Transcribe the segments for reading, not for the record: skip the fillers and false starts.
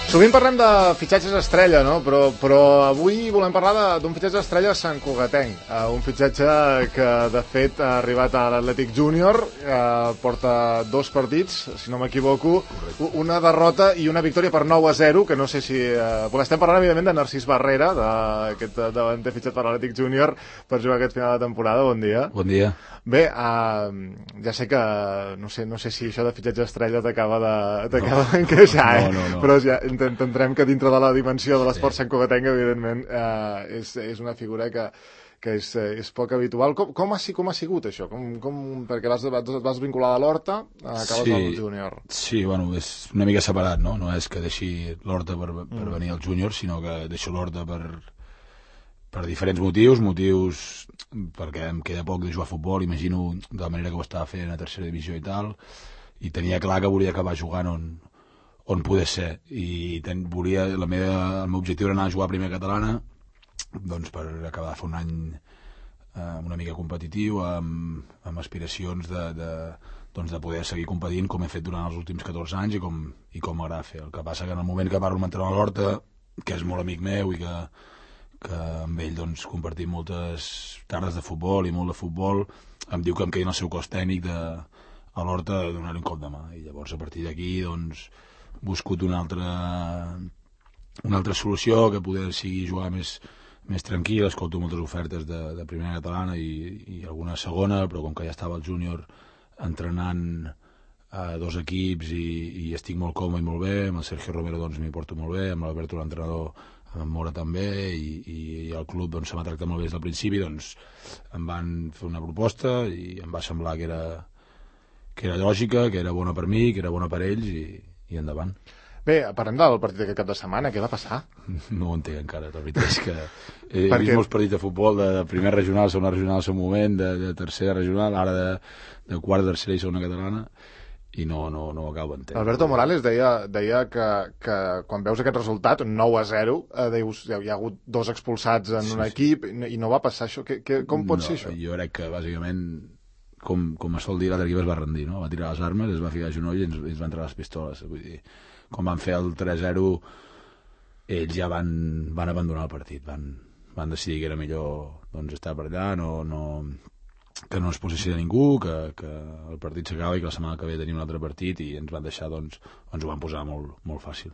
Sovint parlem de fitxatges estrella, no? Però avui volem parlar d'un fitxatge estrella santcugatenc. Un fitxatge que, de fet, ha arribat a l'Atlètic Júnior, porta 2 partits, si no m'equivoco, una derrota i una victòria per 9-0, que no sé si... estem parlant, evidentment, de Narcís Barrera, d'aquest davanter fitxat per l'Atlètic Júnior per jugar aquest final de temporada. Bon dia. Bon dia. Bé, ja sé que no sé si això de fitxatge estrella t'acaba d'encaixar, no. Però ja entendrem que dintre de la dimensió de l'esport santcugatenc, evidentment, és una figura que és poc habitual. Com ha sigut això? Perquè vas vincular a l'Horta, acabes al júnior. Sí, bueno, és una mica separat, no? No és que deixi l'Horta per venir al júnior, sinó que deixo l'Horta per diferents motius, perquè em queda poc de jugar a futbol, imagino de la manera que ho estava fent a tercera divisió i tal, i tenia clar que volia acabar jugant on poder ser, i el meu objectiu era anar a jugar a primera catalana, doncs per acabar de fer un any una mica competitiu, amb aspiracions de poder seguir competint com he fet durant els últims 14 anys i com m'agrada fer. El que passa que en el moment que parlo amb l'entrenador l'Horta, que és molt amic meu i que amb ell doncs, compartim moltes tardes de futbol i molt de futbol, em diu que em quedi en el seu cos tècnic a l'Horta de donar-li un cop de mà, i llavors a partir d'aquí doncs, buscut una altra solució que poder seguir jugar més tranquil. Escolto moltes ofertes de primera catalana i alguna segona, però com que ja estava al júnior entrenant a 2 equips i estic molt còmode i molt bé, amb el Sergio Romero doncs m'hi porto molt bé, amb l'Alberto l'entrenador, amb en Mora també, i el club doncs, se m'ha tractat molt bé des del principi, doncs em van fer una proposta i em va semblar que era lògica, que era bona per mi, que era bona per ells, i endavant. Bé, parlem del partit d'aquest cap de setmana. Què va passar? No ho entenc encara. La veritat és que he vist molts partits de futbol de primera regional, segona regional al seu moment, de tercera regional, ara de quarta, tercera i segona catalana, i no ho acabo d'entendre. Alberto Morales deia que quan veus aquest resultat, 9-0, dius, hi ha hagut 2 expulsats en un equip i no va passar això. Com pot ser això? Jo crec que bàsicament, com es sol dir, l'altre equip es va rendir, no? Va tirar les armes, es va ficar a genoll i ens van treure les pistoles. Vull dir, quan van fer el 3-0, ells ja van abandonar el partit, van decidir que era millor doncs, estar per allà, que no es posessi de ningú, que el partit s'acaba i que la setmana que ve tenim un altre partit, i ens van deixar, doncs, ens ho van posar molt, molt fàcil.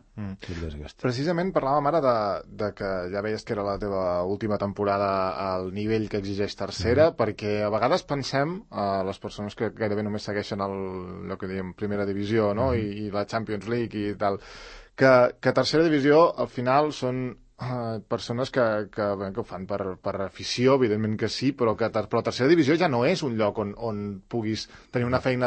Precisament parlàvem ara de que ja veies que era la teva última temporada al nivell que exigeix tercera, perquè a vegades pensem, les persones que gairebé només segueixen allò que diem primera divisió, no? I la Champions League i tal, que tercera divisió al final són persones que ho fan per afició, evidentment que sí, però tercera divisió ja no és un lloc on puguis tenir una feina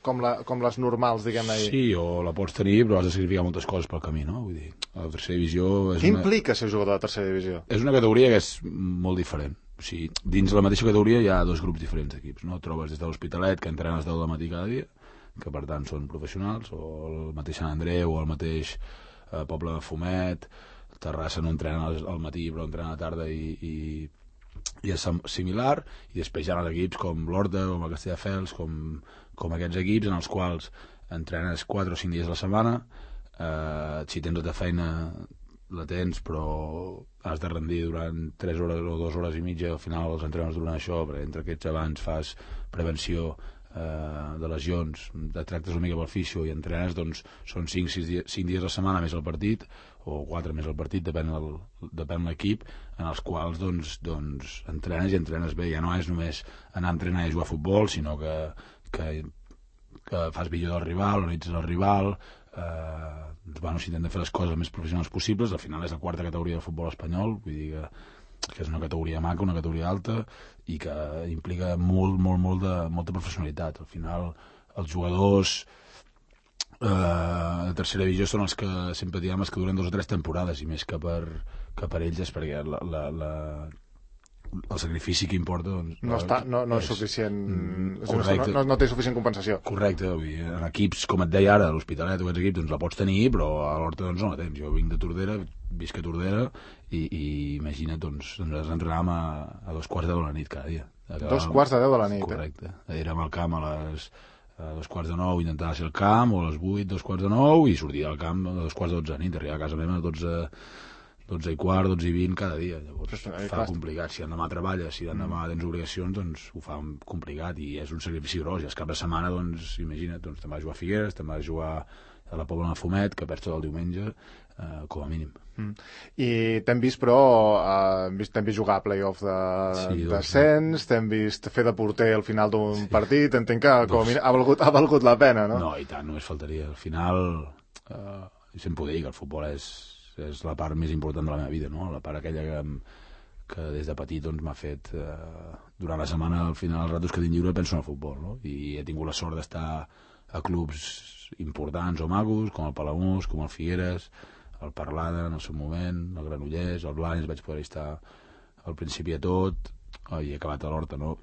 com les normals, diguem-ne. Sí, o la pots tenir, però has de sacrificar moltes coses pel camí, no? Vull dir, la tercera divisió... Què implica ser jugador de tercera divisió? És una categoria que és molt diferent. O sigui, dins la mateixa categoria hi ha 2 grups diferents d'equips, no? Trobes des de l'Hospitalet, que entrenes 10 del matí cada dia, que per tant són professionals, o el mateix Sant Andreu, o el mateix Poble de Fumet. Terrassa no entrena al matí però entrena a la tarda i és similar, i després hi ha equips com l'Horta, com el Castelldefels, com aquests equips en els quals entrenes 4 o 5 dies a la setmana, si tens tota feina la tens, però has de rendir durant 3 hores o 2 hores i mitja, al final els entrenes durant això, perquè entre aquests abans fas prevenció de lesions, et tractes una mica pel fisio i entrenes, doncs són 5 dies a la setmana més el partit, o 4 més el partit, depèn l'equip, en els quals doncs entrenes i entrenes bé. Ja no és només anar a entrenar i jugar a futbol, sinó que fas millor del rival, analitzes el rival, s'intenta fer les coses el més professionals possibles. Al final és la 4a categoria del futbol espanyol, vull dir que és una categoria maca, una categoria alta, i que implica molta professionalitat. Al final els jugadors de tercera divisió són els que sempre diem que duren 2 o 3 temporades, i més que per ells és perquè el sacrifici que importa no és suficient, no té suficient compensació. Correcte, en equips com et deia ara, l'Hospitalet o aquests equips, doncs la pots tenir, però a l'Horta doncs no la tens. Jo vinc de Tordera, visc a Tordera, i imagina't, doncs entrenàvem a 2:15 de la nit cada dia. 2:15 de la nit. Correcte, érem al camp a les a 2:45 intentava ser al camp, o a les 8, 8:45, i sortia del camp a 2:45 de nit, arribava a casa meva a 12:15, 12:20 cada dia. Llavors fa complicat. Si l'endemà treballes, si l'endemà tens obligacions, doncs ho fa complicat, i és un sacrifici gros. I el cap de setmana, doncs, imagina't, doncs, te'n vas a jugar a Figueres, te'n vas a jugar a la Pobla de Mafumet, que perds tot el diumenge, com a mínim. I t'hem vist, però, t'hem vist jugar a play-off de descens, t'hem vist fer de porter al final d'un partit, entenc que com a mínim ha valgut la pena, no? No, i tant, només faltaria. Al final, sempre ho dic, el futbol és la part més important de la meva vida, no? La part aquella que des de petit doncs, m'ha fet durant la setmana, al final, els ratos que tinc lliure penso en el futbol, no? I he tingut la sort d'estar a clubs importants o magos, com el Palamós, com el Figueres, el Parlada en el seu moment, el Granollers, el Blanes, vaig poder estar al principi de tot, i he acabat a l'Horta, no?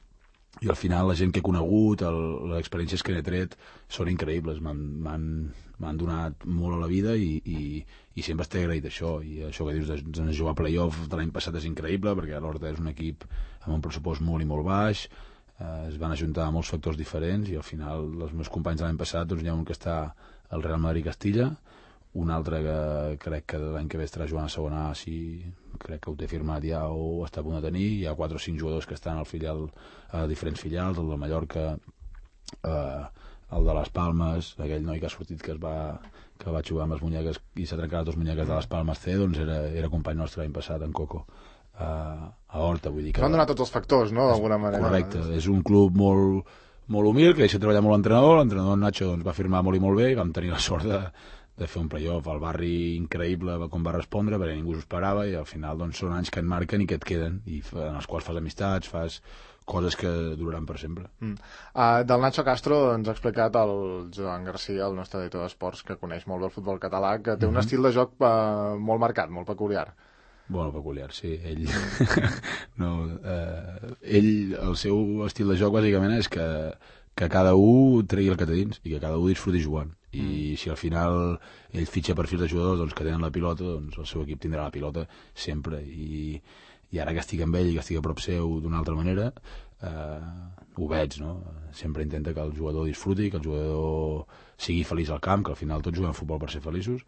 I al final la gent que he conegut, les experiències que n'he tret són increïbles, m'han donat molt a la vida, i sempre estic agraït això. I això que dius de jugar a play-off de l'any passat és increïble, perquè l'Horta és un equip amb un pressupost molt i molt baix, es van ajuntar molts factors diferents, i al final els meus companys de l'any passat, doncs hi ha un que està al Real Madrid-Castilla, un altre que crec que l'any que ve estarà jugant a segona A, si crec que ho té firmat ja o està a punt de tenir. Hi ha 4 o 5 jugadors que estan a diferents filials, el de Mallorca, el de les Palmes, aquell noi que ha sortit que va jugar amb les munyeques i s'ha trencat les 2 munyeques de les Palmes C, doncs era company nostre l'any passat, en Coco, a Horta, vull dir que... Van donar tots els factors, no?, d'alguna manera. Correcte, és un club molt humil, que deixa treballar molt l'entrenador Nacho doncs, va firmar molt i molt bé, i vam tenir la sort de fer un playoff. El barri increïble com va respondre, perquè ningú s'ho esperava, i al final doncs, són anys que et marquen i que et queden, i en els quals fas amistats, fas coses que duraran per sempre. Del Nacho Castro ens ha explicat el Joan Garcia, el nostre editor d'esports, que coneix molt bé el futbol català, que té un estil de joc molt marcat, molt peculiar. Bueno, peculiar, sí. Ell, el seu estil de joc bàsicament és que cada un tregui el que té dins i que cada un disfruti jugant. I si al final ell fitxa perfils de jugadors doncs, que tenen la pilota, doncs el seu equip tindrà la pilota sempre, i ara que estic amb ell i que estic a prop seu d'una altra manera, ho veig, no? Sempre intenta que el jugador disfruti, que el jugador sigui feliç al camp, que al final tots juguem a futbol per ser feliços,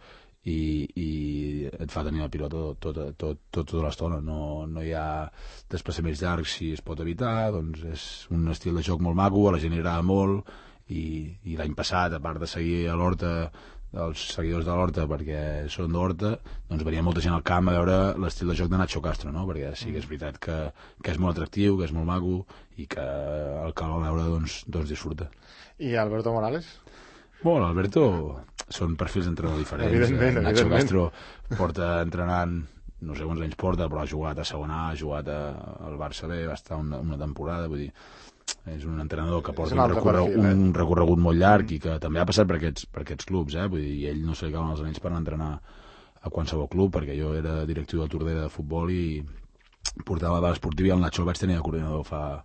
i et fa tenir la pilota tota l'estona. No hi ha desplaçaments llargs si es pot evitar, doncs és un estil de joc molt maco, a la gent li agrada molt, i l'any passat, a part de seguir a l'Horta, els seguidors de l'Horta perquè són d'Horta, doncs venia molta gent al camp a veure l'estil de joc de Nacho Castro, no? Perquè sí que és veritat que és molt atractiu, que és molt maco, i que el que el veure doncs disfruta. I Alberto Morales? Bueno, l'Alberto són perfils d'entrenador diferents. Evidentment. Nacho Castro porta entrenant, no sé quants anys porta, però ha jugat a segona A, ha jugat al Barça B, va estar una temporada, vull dir, és un entrenador que porta un recorregut molt llarg, i que també ha passat per aquests clubs, vull dir, i ell no se li cauen els anells per anar a entrenar a qualsevol club, perquè jo era directiu de Tordera de futbol i portava la base esportiva, i el Nacho el vaig tenir de coordinador fa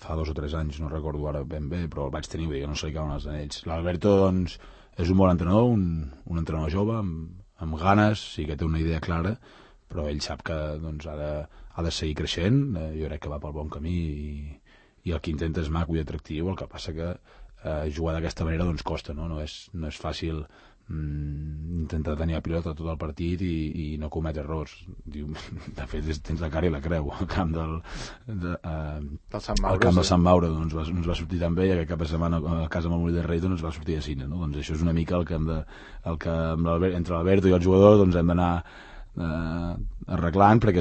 2 o 3 anys, no recordo ara ben bé, però el vaig tenir, vull dir que no se li cauen els anells. L'Alberto, doncs, és un bon entrenador, un entrenador jove, amb ganes, sí que té una idea clara, però ell sap que doncs, ha de seguir creixent. Jo crec que va pel bon camí, i el que intenta és maco i atractiu. El que passa que jugar d'aquesta manera doncs costa, no és fàcil intentar tenir la pilota tot el partit i no cometre errors. De fet, tens la cara i la creu. Al camp del Sant Maure doncs, no ens va sortir tan bé, i aquest cap de setmana a casa amb el Molí de Rei doncs, va sortir a cine, no? Doncs això és una mica el que entre l'Alberto i el jugador doncs, hem d'anar arreglant, perquè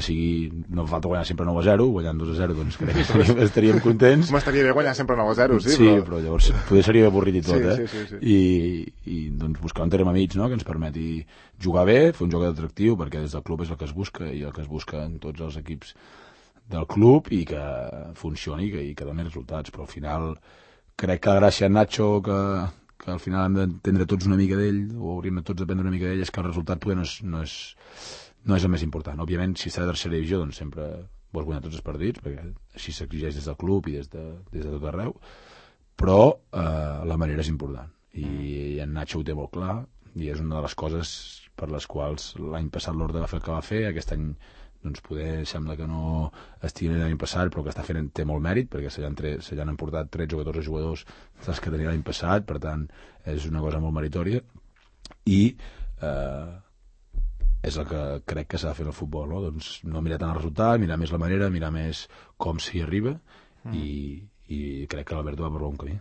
no falta guanyar sempre 9-0, guanyant 2-0 doncs crec que estaríem contents. M'estaria bé guanyar sempre 9-0, sí, però llavors potser seria avorrit i tot, sí. I doncs buscar un terme mig, no?, que ens permeti jugar bé, fer un joc atractiu, perquè des del club és el que es busca, i el que es busca en tots els equips del club, i que funcioni i que doni resultats. Però al final crec que la gràcia en Nacho, que al final hem d'entendre tots una mica d'ell, o hauríem tots d'aprendre una mica d'ell, és que el resultat poder no és el més important. Òbviament, si està a tercera divisió, doncs sempre vols guanyar tots els partits, perquè així s'exigeix des del club i des de tot arreu, però la manera és important, i en Nacho ho té molt clar, i és una de les coses per les quals l'any passat l'Horta va fer el que va fer, aquest any doncs poder sembla que no estigui l'any passat, però que té molt mèrit, perquè se li han emportat 13 o 14 jugadors dels que tenia l'any passat, per tant és una cosa molt meritòria, i és el que crec que s'ha de fer en el futbol, no? Doncs no mirar tant el resultat, mirar més la manera, mirar més com s'hi arriba, i crec que l'Alberto va per bon camí.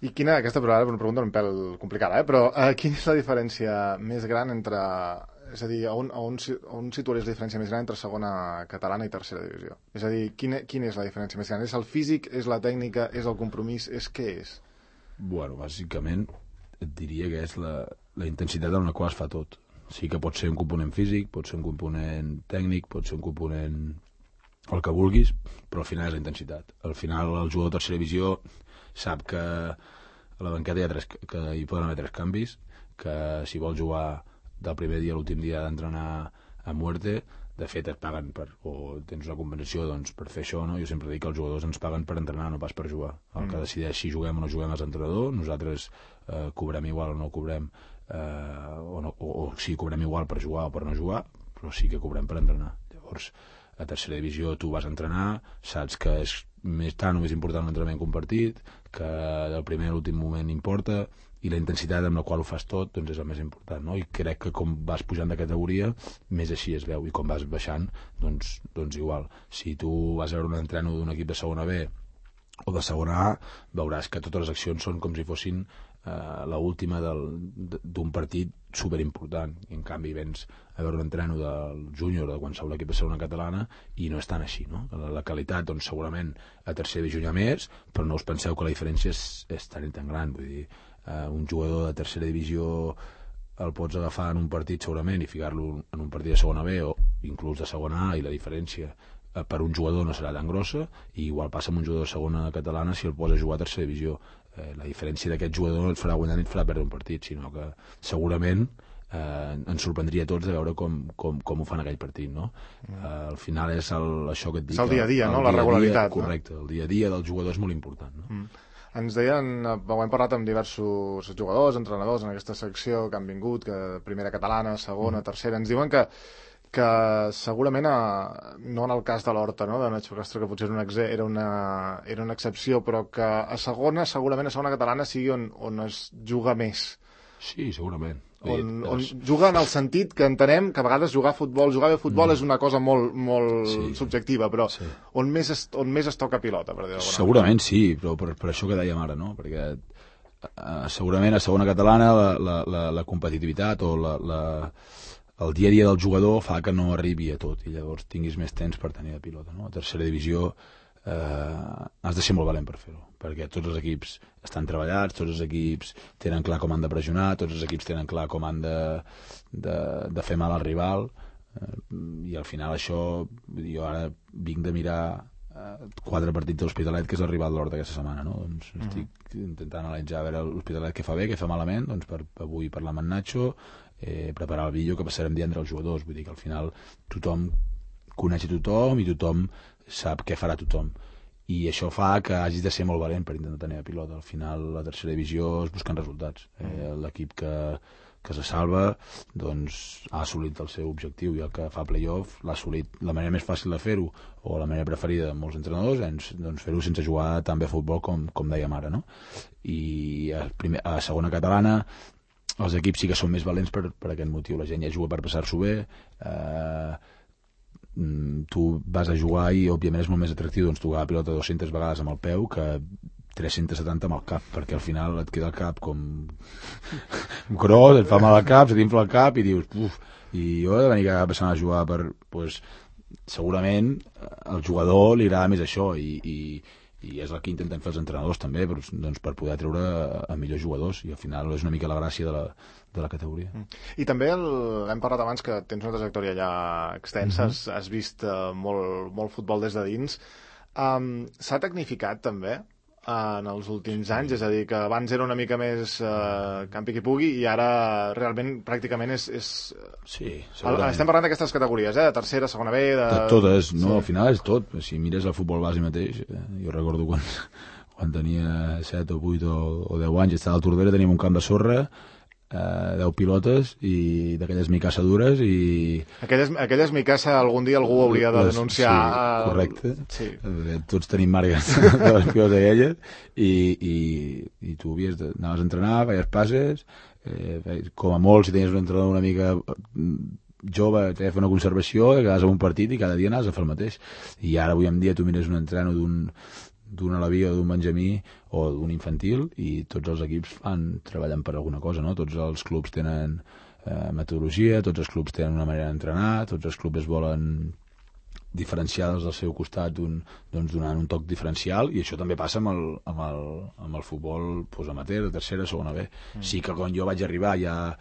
I aquesta una pregunta un pèl complicada, però quina és la diferència més gran entre... És a dir, on situaries la diferència més gran entre segona catalana i tercera divisió? És a dir, quina és la diferència més gran? És el físic, és la tècnica, és el compromís, què és? Bueno, bàsicament et diria que és la intensitat en la qual es fa tot. Sí que pot ser un component físic, pot ser un component tècnic, pot ser un component el que vulguis, però al final és la intensitat. Al final el jugador de tercera divisió sap que a la banqueta hi poden haver 3 canvis, que si vol jugar del primer dia a l'últim dia d'entrenar a muerte, de fet et paguen o tens una compensació doncs, per fer això, no? Jo sempre dic que els jugadors ens paguen per entrenar, no pas per jugar. El que decideix si juguem o no juguem és l'entrenador, nosaltres cobrem igual o no cobrem, o si cobrem igual per jugar o per no jugar, però sí que cobrem per entrenar. Llavors, a tercera divisió tu vas a entrenar, saps que és tant o més important l'entrenament que un partit, que del primer a l'últim moment importa, i la intensitat amb la qual ho fas tot doncs és el més important, no? I crec que com vas pujant de categoria més així es veu, i com vas baixant doncs igual. Si tu vas a veure un entreno d'un equip de segona B o de segona A, veuràs que totes les accions són com si fossin l'última d'un partit superimportant, i en canvi vens a veure un entreno del júnior o de qualsevol equip de segona catalana i no és tan així, no? La qualitat doncs segurament a tercera divisió hi ha més, però no us penseu que la diferència és tan gran, vull dir, un jugador de tercera divisió el pots agafar en un partit segurament i ficar-lo en un partit de segona B o inclús de segona A, i la diferència per un jugador no serà tan grossa, i igual passa amb un jugador de segona catalana si el posa a jugar a tercera divisió. La diferència d'aquest jugador no et farà guanyar ni et farà perdre un partit, sinó que segurament ens sorprendria a tots de veure com ho fan aquell partit, no? Al final és això que et dic, és el dia a dia, no? La regularitat, correcte, el dia a dia del jugador és molt important, no? Ens deien, ho hem parlat amb diversos jugadors, entrenadors en aquesta secció que han vingut, que primera catalana, segona, tercera, ens diuen que segurament, no en el cas de l'Horta, no? De Nacho Castro, que potser era una excepció, però que a segona, segurament a segona catalana sigui on es juga més. Sí, segurament. On juga en el sentit que entenem que a vegades jugar bé a futbol és una cosa molt subjectiva, però on més es toca pilota, per dir-ho d'alguna manera. Segurament sí, però per això que dèiem ara, no? Perquè segurament a segona catalana la competitivitat o el dia a dia del jugador fa que no arribi a tot, i llavors tinguis més temps per tenir la pilota, no? A tercera divisió has de ser molt valent per fer-ho, perquè tots els equips estan treballats, tots els equips tenen clar com han de pressionar, tots els equips tenen clar com han de fer mal al rival, i al final això, jo ara vinc de mirar 4 partits de l'Hospitalet, que és el rival de l'Horta aquesta setmana, no? Doncs estic intentant analitzar a veure l'Hospitalet què fa bé, què fa malament, doncs per avui parlar amb en Nacho, preparar el vídeo que passarem divendres als jugadors. Vull dir que al final tothom coneix a tothom i tothom sap què farà tothom, i això fa que hagis de ser molt valent per intentar tenir la pilota. Al final la tercera divisió es busquen resultats, l'equip que se salva doncs ha assolit el seu objectiu, i el que fa playoff l'ha assolit. La manera més fàcil de fer-ho, o la manera preferida de molts entrenadors, és doncs, fer-ho sense jugar tan bé a futbol com dèiem ara, no? I a segona catalana els equips sí que són més valents per aquest motiu. La gent ja juga per passar-s'ho bé, tu vas a jugar i òbviament és molt més atractiu doncs tocar la pilota 200 vegades amb el peu que 370 amb el cap, perquè al final et queda el cap com gros, et fa mal al cap, se t'infla el cap i dius, i jo he de venir cada passant a jugar segurament al jugador li agrada més això, i és el que intentem fer els entrenadors també, doncs, per poder treure a millors jugadors, i al final és una mica la gràcia de la categoria. I també hem parlat abans que tens una trajectòria ja extensa, has vist molt futbol des de dins. S'ha tecnificat també en els últims anys, és a dir, que abans era una mica més campi qui pugui, i ara realment pràcticament és... Sí, segurament. Estem parlant d'aquestes categories, de tercera, segona B... De totes, no? Al final és tot. Si mires el futbol base mateix, jo recordo quan tenia 7 o 8 o 10 anys, estava al Tordera, teníem un camp de sorra, 10 pilotes i d'aquelles micassa dures i... Aquelles micassa algun dia algú hauria de denunciar. Sí, correcte. Sí. Tots tenim marques de les pilotes aquelles i tu anaves a entrenar, feies passes, com a molt si tenies un entrenador una mica jove, t'he de fer una conservació, quedaves en un partit i cada dia anaves a fer el mateix. I ara avui en dia tu mires un entreno d'un alaví o d'un benjamí o d'un infantil i tots els equips treballen per alguna cosa, no? Tots els clubs tenen metodologia, tots els clubs tenen una manera d'entrenar, tots els clubs es volen diferenciar del seu costat donant un toc diferencial i això també passa amb el futbol amateur, de tercera, segona B. Sí que quan jo vaig arribar ja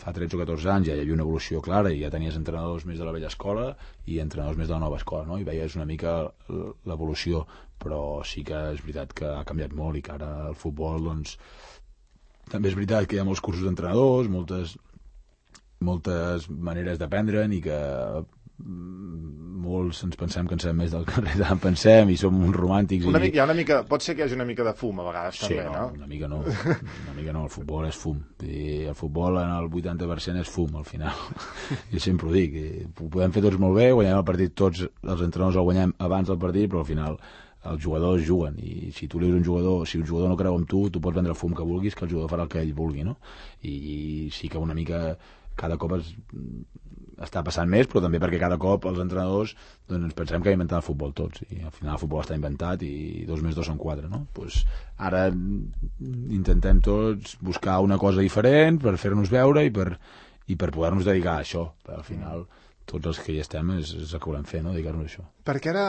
fa 13 o 14 anys ja hi havia una evolució clara i ja tenies entrenadors més de la vella escola i entrenadors més de la nova escola, no? I veies una mica l'evolució, però sí que és veritat que ha canviat molt i que ara el futbol, doncs, també és veritat que hi ha molts cursos d'entrenadors, moltes maneres d'aprendre'n i que molts ens pensem que en sabem més del que en pensem i som uns romàntics pot ser que hi hagi una mica de fum a vegades sí, també, no? Una mica no, el futbol és fum i el futbol en el 80% és fum al final, jo sempre ho dic ho podem fer tots molt bé, guanyem el partit tots els entrenadors el guanyem abans del partit però al final els jugadors juguen i si tu li dius si un jugador no creu en tu pots vendre el fum que vulguis que el jugador farà el que ell vulgui, no? I sí que una mica cada cop està passant més, però també perquè cada cop els entrenadors doncs, ens pensem que hem inventat el futbol tots i al final el futbol està inventat i 2 més 2 són 4, no? Pues ara intentem tots buscar una cosa diferent per fer-nos veure i per poder-nos dedicar a això, però al final tots els que hi estem és el que volem fer, no? Dedicar-nos a això. Perquè ara,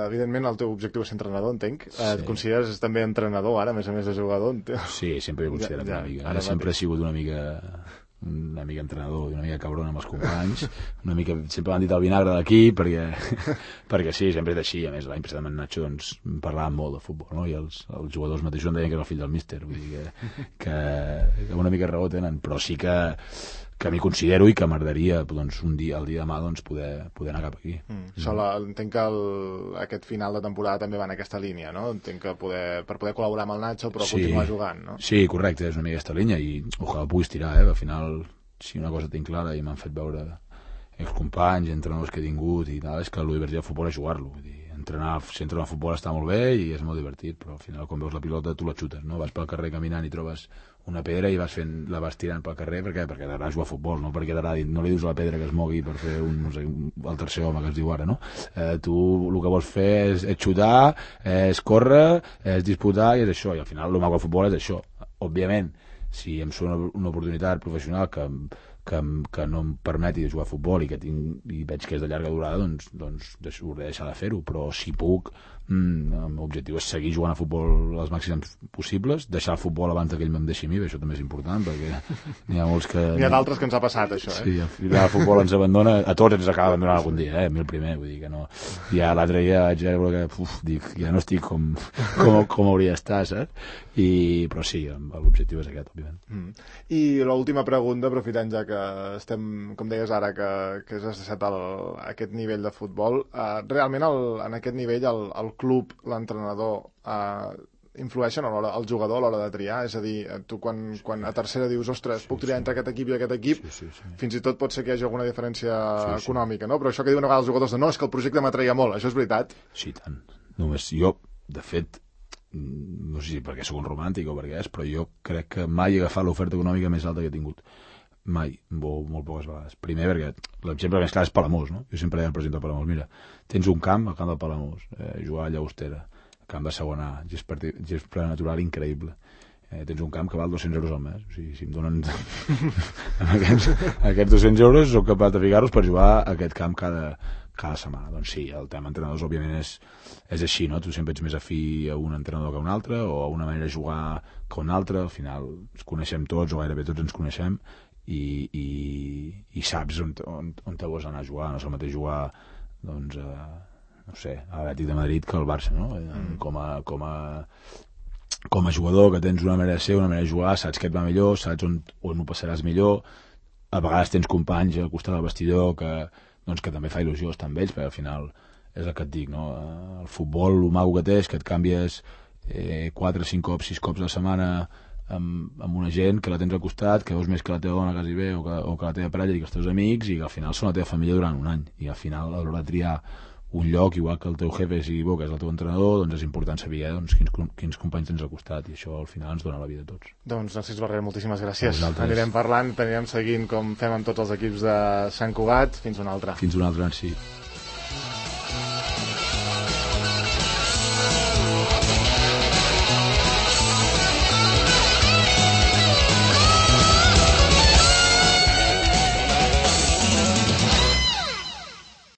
evidentment, el teu objectiu és ser entrenador, entenc. Sí. Et consideres també entrenador ara, a més de jugador? Sí, sempre he considerat una mica. Ara sempre he sigut una mica entrenador i una mica cabron amb els companys una mica, sempre m'han dit el vinagre d'aquí perquè sí, sempre és així a més l'any passat amb en Nacho doncs parlàvem molt de futbol, no? I els jugadors mateixos em deien que era el fill del míster vull dir que una mica raó tenen però sí que m'hi considero i que m'agradaria doncs, el dia de demà doncs, poder anar cap aquí. Entenc que aquest final de temporada també va en aquesta línia, no? Entenc que per poder col·laborar amb el Nacho però continuar jugant, no? Sí, correcte, és una mica aquesta línia i ojalà puguis tirar, al final si una cosa tinc clara i m'han fet veure excompanys, entrenadors que he tingut i tal, és que el divertit del futbol és jugar-lo vull dir, entrenar a futbol està molt bé i és molt divertit, però al final quan veus la pilota tu la xutes, no? Vas pel carrer caminant i trobes una pedra i la vas tirant pel carrer perquè t'agrada jugar a futbol, no perquè t'agradi, no li dius a la pedra que es mogui per fer el tercer home que es diu ara, no? Tu el que vols fer és xutar, és córrer, és disputar i és això, i al final el maco del futbol és això. Òbviament, si em sona una oportunitat professional que no em permeti jugar a futbol i veig que és de llarga durada, doncs hauré de deixar de fer-ho, però si puc l'objectiu és seguir jugant a futbol els màxims possibles, deixar el futbol abans que ell me'n deixi a mi, això també és important perquè n'hi ha molts que... N'hi ha d'altres que ens ha passat això, Sí, el futbol ens abandona, a tots ens acaba abandonant algun dia, a mi el primer, vull dir que no... Ja l'altre dia vaig veure que, dic, ja no estic com hauria d'estar, saps? Però sí, l'objectiu és aquest, òbviament. I l'última pregunta, aprofitant ja que estem, com deies ara, que has deixat aquest nivell de futbol, realment en aquest nivell el club, l'entrenador, influeixen el jugador a l'hora de triar? És a dir, tu quan a tercera dius, ostres, puc triar entre aquest equip i aquest equip, fins i tot pot ser que hi hagi alguna diferència econòmica, no? Però això que diuen a vegades els jugadors no, és que el projecte m'atreia molt, això és veritat? Sí, tant. Només jo, de fet, no sé si perquè sóc un romàntic o perquè però jo crec que mai he agafat l'oferta econòmica més alta que he tingut. Mai, molt poques vegades. Primer perquè l'exemple més clar és Palamós, no? Jo sempre deia al president del Palamós, mira, tens un camp, al camp del Palamós, jugar a Llagostera, camp de segona A, gest natural increïble. Tens un camp que val 200 euros al mes. O sigui, si em donen aquests 200 euros, soc capaç de ficar-los per jugar a aquest camp cada setmana. Doncs sí, el tema entrenadors òbviament és així, no? Tu sempre ets més afí a un entrenador que a un altre o a una manera de jugar que a una altra. Al final ens coneixem tots o gairebé tots ens coneixem i saps on te vols anar a jugar. No és el mateix jugar doncs, no sé, a l'Atlètic de Madrid que al Barça, no? Com a jugador que tens una manera de ser, una manera de jugar, saps què et va millor, saps on ho passaràs millor. A vegades tens companys al costat del vestidor que també fa il·lusió estar amb ells, perquè al final és el que et dic, no? El futbol, el maco que té és que et canvies 4, 5 cops, 6 cops a la setmana amb una gent que la tens al costat, que veus més que la teva dona quasi bé, o que la teva parella i que els teus amics, i que al final són la teva família durant un any, i al final a l'hora de triar un lloc, igual que el teu jefe sigui bo, que és el teu entrenador, doncs és important saber quins companys tens al costat, i això al final ens dona la vida a tots. Doncs Narcís Barrera, moltíssimes gràcies. Anirem parlant, anirem seguint com fem amb tots els equips de Sant Cugat. Fins una altra. Fins una altra, sí.